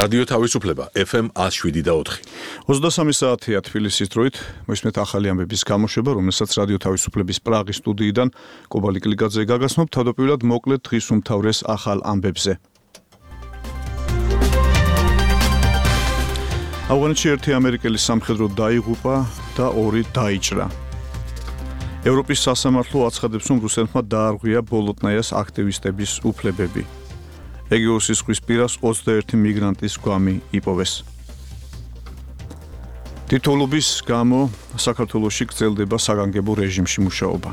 რადიო თავისუფლება FM 107.4. 23 საათია თბილისის დროით, მოისმენთ ახალი ამბების გამოშვება, რომელსაც რადიო თავისუფლების პრაღის სტუდიიდან კობალი კლიკაძე გაგაცნობ, თავდაპირველად მოკლედ დღის უმთავრეს ახალ ამბებზე. ავღანეთში ერთი ამერიკელი სამხედრო დაიღუპა და ორი დაიჭრა. ევროპის სასამართლო აცხადებს, რომ რუსეთმა დაარღვია ბოლოტნაიას აქტივისტების უფლებები. ეგეოსის ზღვის პირას 21 მიგრანტის გვამი იპოვეს. თითოეულობის გამო საქართველოში გრძელდება საგანგებო რეჟიმში მუშაობა.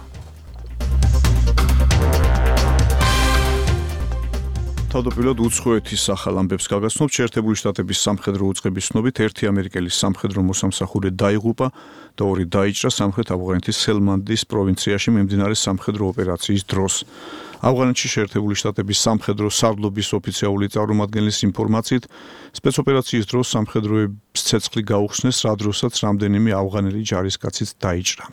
თავდაპირველად უცხოეთის ახალ ამბებს გაგაცნობთ. შეერთებული შტატების სამხედრო უწყების ცნობით ერთი ამერიკელი სამხედრო მოსამსახურე დაიღუპა და ორი დაიჭრა სამხრეთ ავღანეთის სელმანდის პროვინციაში მიმდინარე სამხედრო ოპერაციის დროს. ავღანეთში შეერთებული შტატების სამხედრო სარდლობის ოფიციალური წარმომადგენლის ინფორმაციით, სპეცოპერაციის დროს სამხედროებს ცეცხლი გაუხსნეს, რა დროსაც რამდენიმე ავღანელი ჯარისკაციც დაიჭრა.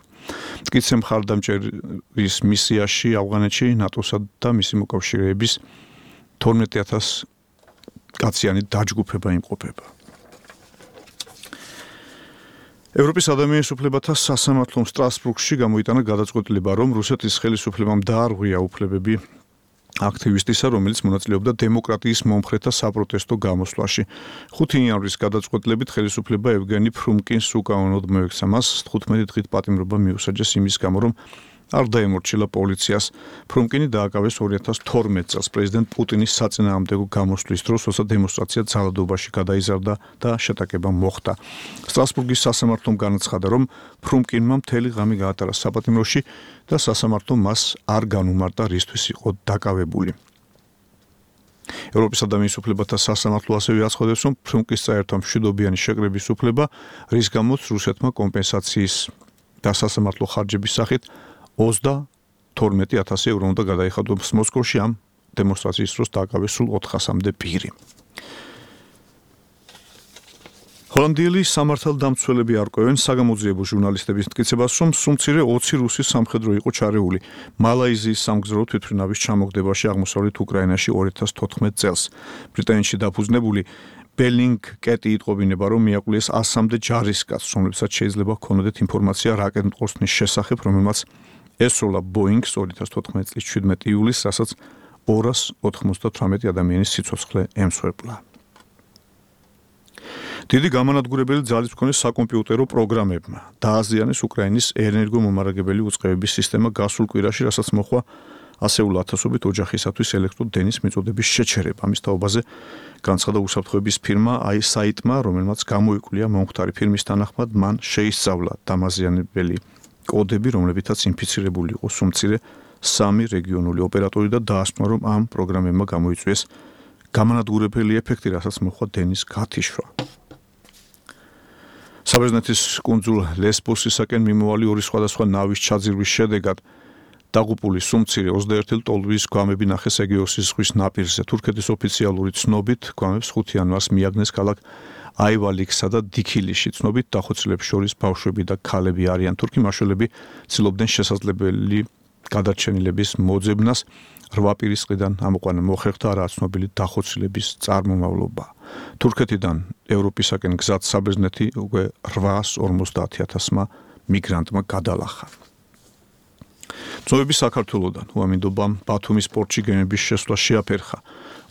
მტკიცე მხარდამჭერის მისიაში ავღანეთში ნატოსა და მისი მოკავშირეების 12,000 კაციანი დაჯგუფება იმყოფება. ევროპის ადამიანის უფლებათა სასამართლომ სტრასბურგში გამოიტანა გადაწყვეტილება, რომ რუსეთის ხელისუფლებამ დაარღვია უფლებები აქტივისტისა, რომელიც მონაწილეობდა დემოკრატიის მომხრეთა საპროტესტო გამოსვლაში. 5 იანვრის გადაწყვეტილებით ხელისუფლება ევგენი ფრუმკინს უკანონოდ მოექცა მას 15 დღით პატიმრობა მიუსაჯეს იმის გამო, რომ არ დაემორჩილა პოლიციას. ფრუმკინი დააკავეს 2012 წელს პრეზიდენტ პუტინის საწინააღმდეგო გამოსვლის დროს, როცა დემონსტრაცია ძალადობაში გადაიზარდა და შეტაკება მოხდა. სტრასბურგის სასამართლომ განაცხადა, რომ ფრუმკინმა მთელი ღამე გაატარა საპატიმროში და სასამართლომ მას არ განუმარტა, რისთვის იყო დაკავებული. ევროპის ადამიანის უფლებათა სასამართლო ასევე აცხადებს, რომ ფრუმკინს წაერთვა მშვიდობიანი შეკრების უფლება, რის გამოც რუსეთმა კომპენსაციის და სასამართლო ხარჯების სახით 22,000 ევრო უნდა გადაიხადოს მოსკოვში ამ დემონსტრაციის დროს დააკავეს სულ 400-მდე პირი. ჰოლანდიელი სამართალდამცველები არკვევენ საგამოძიებო ჟურნალისტების მტკიცებას, რომ სულ მცირე 20 რუსი სამხედრო იყო ჩარეული მალაიზიის სამგზავრო თვითმფრინავის ჩამოგდებაში აღმოსავლეთ უკრაინაში 2014 წელს. ბრიტანეთში დაფუძნებული ბელინგ კეტი იტყობინება, რომ მიაკვლიეს 100-მდე ჯარისკაცს, რომლებსაც შეიძლება ჰქონოდეთ ინფორმაცია რაკეტმტყორსნის შესახებ, რომელმაც ესროლა ბოინგს 2014 წლის 17 ივლისს, რასაც 298 ადამიანის სიცოცხლე ემსხვერპლა. დიდი გამანადგურებელი ძალის მქონე საკომპიუტერო პროგრამებმა დააზიანეს უკრაინის ენერგომომარაგებელი უწყებების სისტემა გასულ კვირაში, რასაც მოჰყვა ასეული ათასობით ოჯახისათვის ელექტროდენის მიწოდების შეჩერება. ამის თაობაზე განცხადა უსაფრთხოების ფირმა iSight-მა, რომელმაც გამოიკვლია მომხდარი ფირმის თანახმად, მან შეისწავლა დამაზიანებელი კოდები, რომლებითაც ინფიცირებული იყო სულ-მცირე 3 რეგიონული ოპერატორი და დაასკვნა, რომ ამ პროგრამებმა გამოიწვიეს გამანადგურებელი ეფექტი, რასაც მოჰყვა დენის გათიშვა. საბერძნეთის კუნძულ ლესბოსისაკენ მიმოვალი ორი სხვადასხვა ნავის ჩაძირვის შედეგად დაღუპული სულ-მცირე 21 ლტოლვის გვამები ნახეს ეგეოსის ზღვის ნაპირზე. თურქეთის ოფიციალური ცნობით, გვამებს 5 იანვარს მიაგნეს ქალაქ აივალიქსა და დიქილიში. ცნობით დახოცილებს შორის ბავშვები და ქალები არიან. თურქი მაშველები ცდილობდნენ შესაძლებელი გადარჩენილების მოძებნას. 8 პირის ყიდან ამოყვანა მოხერხდა არაა ცნობილი დახოცილების წარმომავლობა. თურქეთიდან ევროპისაკენ გზად საბერძნეთი უკვე 850,000 მიგრანტმა გადალახა. ცნობები საქართველოდან უამინდობამ ბათუმის პორტში გემების შესვლა შეაფერხა.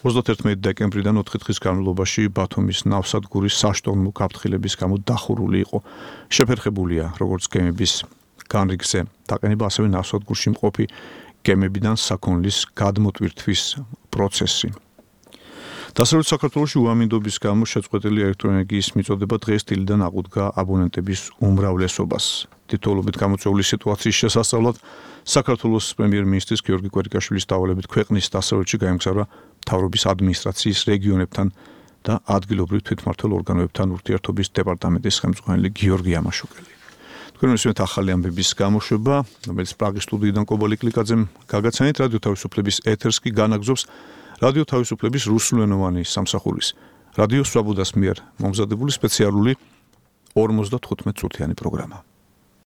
31 დეკემბრიდან 4 დღის განმავლობაში ბათუმის ნავსადგურის საშტორმო გაფრთხილების გამო დახურული იყო. შეფერხებულია როგორც გემების განრიგზე დაყენება, ასევე ნავსადგურში მყოფი გემებიდან საქონლის გადმოტვირთვის პროცესი. დასავლეთ საქართველოში უამინდობის გამო შეწყვეტილი ელექტროენერგიის მიწოდება დღეს დილიდან აღუდგა აბონენტების უმრავლესობას. თითოეულობით გამოწვეული სიტუაციის შესასწავლად საქართველოს პრემიერ-მინისტრის გიორგი კვერიკაშვილის დავალებით ქვეყნის დასავლეთში გაემგზავრა მთავრობის ადმინისტრაციის რეგიონებთან და ადგილობრივ თვითმმართველ ორგანოებთან ურთიერთობის დეპარტამენტის ხელმძღვანელი გიორგი ამაშუკელი. თქვენ მისმენთ ახალი ამბების გამოშვება, რომელიც პრაღის სტუდიიდან კობალი კლიკაძემ გაგაცანით. რადიო თავისუფლების ეთერს კი განაგზობს რადიო თავისუფლების რუსულენოვანი სამსახურის რადიო სვაბოდას მიერ მომზადებული სპეციალური 55 წუთიანი პროგრამა.